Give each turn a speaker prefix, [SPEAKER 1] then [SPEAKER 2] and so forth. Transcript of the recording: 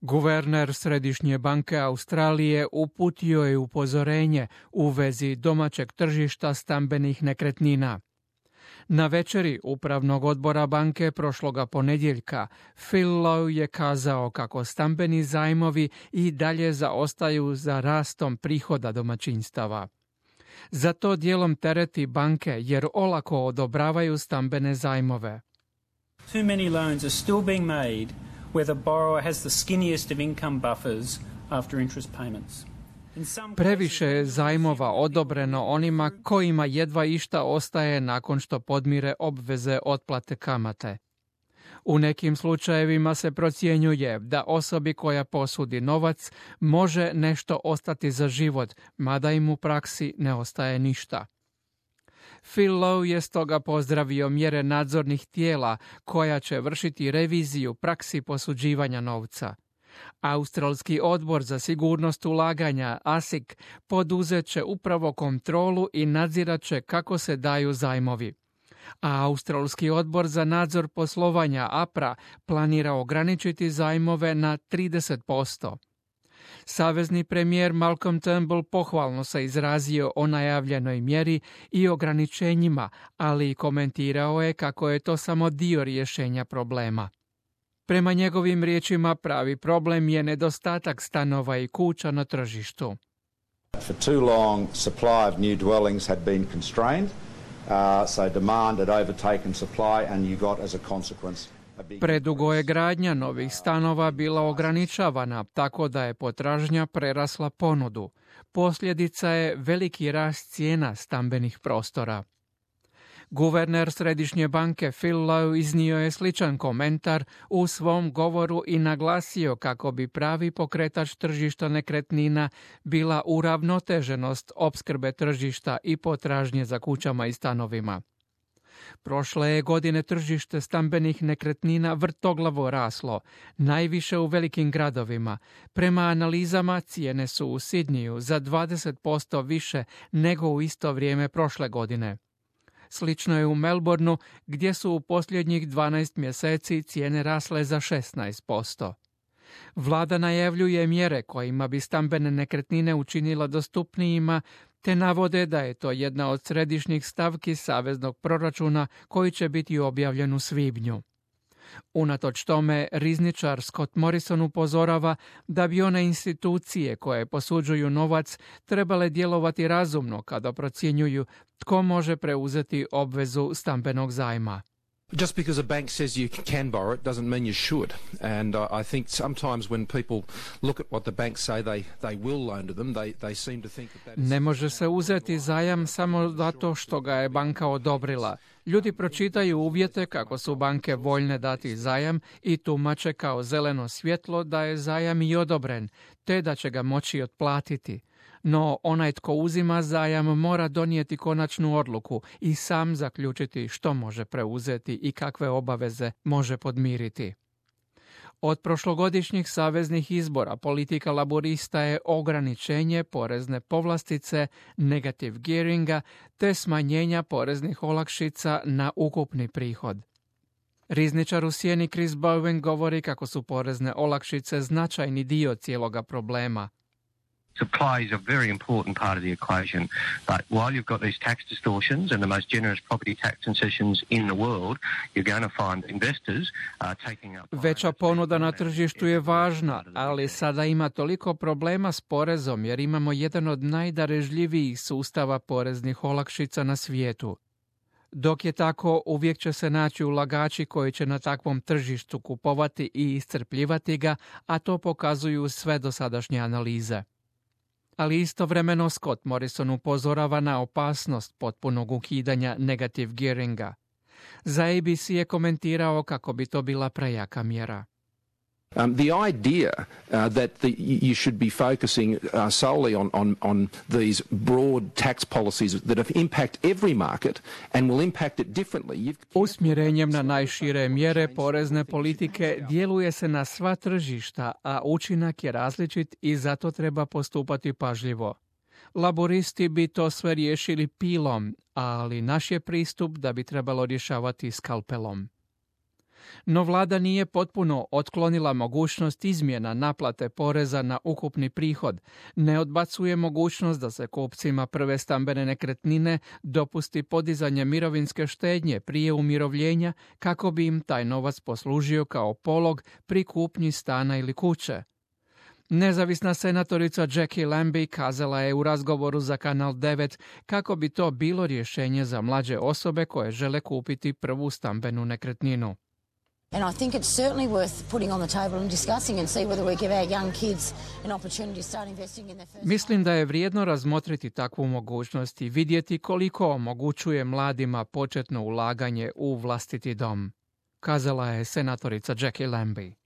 [SPEAKER 1] Guverner Središnje banke Australije uputio je upozorenje u vezi domaćeg tržišta stambenih nekretnina. Na večeri Upravnog odbora banke prošloga ponedjeljka, Phil Lowe je kazao kako stambeni zajmovi i dalje zaostaju za rastom prihoda domaćinstava. Za to dijelom tereti banke jer olako odobravaju stambene zajmove.
[SPEAKER 2] Too many loans are still being made where the borrower has the skinniest of income buffers after interest payments.
[SPEAKER 1] Previše je zajmova odobreno onima kojima jedva išta ostaje nakon što podmire obveze otplate kamate. U nekim slučajevima se procjenjuje da osobi koja posudi novac može nešto ostati za život, mada im u praksi ne ostaje ništa. Phil Lowe je stoga pozdravio mjere nadzornih tijela koja će vršiti reviziju praksi posuđivanja novca. Australski odbor za sigurnost ulaganja ASIC poduzet će upravo kontrolu i nadzirat će kako se daju zajmovi. A Australski odbor za nadzor poslovanja APRA planira ograničiti zajmove na 30%. Savezni premijer Malcolm Turnbull pohvalno se izrazio o najavljenoj mjeri i ograničenjima, ali i komentirao je kako je to samo dio rješenja problema. Prema njegovim riječima pravi problem je nedostatak stanova i kuća na tržištu.
[SPEAKER 3] For too long, supply of new dwellings had been constrained, so demand had overtaken supply and you got as a consequence.
[SPEAKER 1] Predugo je gradnja novih stanova bila ograničavana, tako da je potražnja prerasla ponudu. Posljedica je veliki rast cijena stambenih prostora. Guverner Središnje banke Phil Lowe iznio je sličan komentar u svom govoru i naglasio kako bi pravi pokretač tržišta nekretnina bila uravnoteženost opskrbe tržišta i potražnje za kućama i stanovima. Prošle je godine tržište stambenih nekretnina vrtoglavo raslo, najviše u velikim gradovima. Prema analizama cijene su u Sidniju za 20% više nego u isto vrijeme prošle godine. Slično je u Melbourneu, gdje su u posljednjih 12 mjeseci cijene rasle za 16%. Vlada najavljuje mjere kojima bi stambene nekretnine učinila dostupnijima, te navode da je to jedna od središnjih stavki saveznog proračuna koji će biti objavljen u svibnju. Unatoč tome, rizničar Scott Morrison upozorava da bi one institucije koje posuđuju novac trebale djelovati razumno kada procjenjuju tko može preuzeti obvezu stambenog zajma.
[SPEAKER 4] Just because a bank says you can borrow it doesn't mean you should. And I think sometimes when people look at what the banks say they will loan to them, they seem to think that
[SPEAKER 1] Ne može se uzeti zajam samo zato što ga je banka odobrila. Ljudi pročitaju uvjete kako su banke voljne dati zajam i tumače kao zeleno svjetlo da je zajam i odobren, te da će ga moći otplatiti. No onaj tko uzima zajam mora donijeti konačnu odluku i sam zaključiti što može preuzeti i kakve obaveze može podmiriti. Od prošlogodišnjih saveznih izbora politika laborista je ograničenje porezne povlastice, negative gearinga te smanjenja poreznih olakšica na ukupni prihod. Rizničar u sjeni Chris Bowen govori kako su porezne olakšice značajni dio cijeloga problema.
[SPEAKER 5] Supply is a very important part of the equation, but while you've got these tax distortions and the most generous property tax concessions in the world, you're going to find investors taking up...
[SPEAKER 1] Veća ponuda na tržištu je važna, ali sada ima toliko problema s porezom jer imamo jedan od najdarežljivijih sustava poreznih olakšica na svijetu. Dok je tako, uvijek će se naći ulagači koji će na takvom tržištu kupovati i iscrpljivati ga, a to pokazuju sve dosadašnje analize. Ali istovremeno Scott Morrison upozorava na opasnost potpunog ukidanja negative gearinga. Za ABC je komentirao kako bi to bila prejaka mjera.
[SPEAKER 4] The idea that you should be focusing solely on these broad tax policies that impact every market and will impact it differently.
[SPEAKER 1] Usmjerenjem na najšire mjere porezne politike djeluje se na sva tržišta, a učinak je različit i zato treba postupati pažljivo. Laboristi bi to sve riješili pilom, ali naš je pristup da bi trebalo rješavati skalpelom. No vlada nije potpuno otklonila mogućnost izmjena naplate poreza na ukupni prihod, ne odbacuje mogućnost da se kupcima prve stambene nekretnine dopusti podizanje mirovinske štednje prije umirovljenja kako bi im taj novac poslužio kao polog pri kupnji stana ili kuće. Nezavisna senatorica Jackie Lambie kazala je u razgovoru za Kanal 9 kako bi to bilo rješenje za mlađe osobe koje žele kupiti prvu stambenu nekretninu.
[SPEAKER 6] And I think it's certainly worth putting on the table and discussing and see whether we give our young kids an opportunity to start investing in their first.
[SPEAKER 1] Mislim da je vrijedno razmotriti takvu mogućnost i vidjeti koliko omogućuje mladima početno ulaganje u vlastiti dom, kazala je senatorica Jackie Lambie.